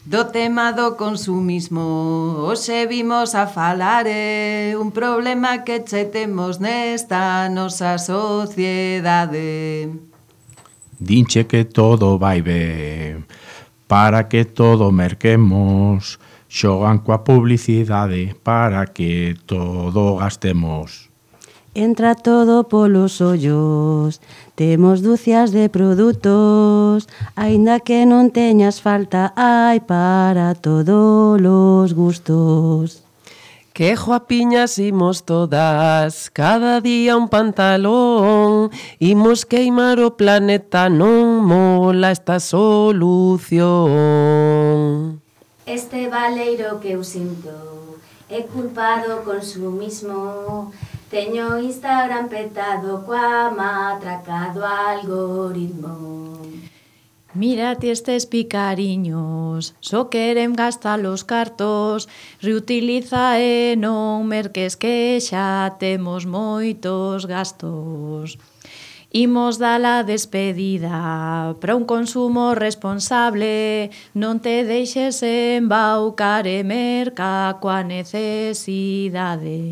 Do tema do consumismo hoxe vimos a falar un problema que che temos nesta nosa sociedade. Dinche que todo vai ben, para que todo merquemos, xogan coa publicidade para que todo gastemos. Entra todo polos ollos, temos dúcias de produtos, aínda que non teñas falta, hai para todos os gustos. Que guapiñas imos todas, cada día un pantalón, imos queimar o planeta, non mola esta solución. Este baleiro que eu sinto é culpa do consumismo. Teño Instagram petado coa matraca do algoritmo. Mírate estes picariños, só queren gastar os cartos, reutiliza e non merques que xa temos moitos gastos. Imos dar a despedida para un consumo responsable, non te deixes embaucar e merca coa necesidade.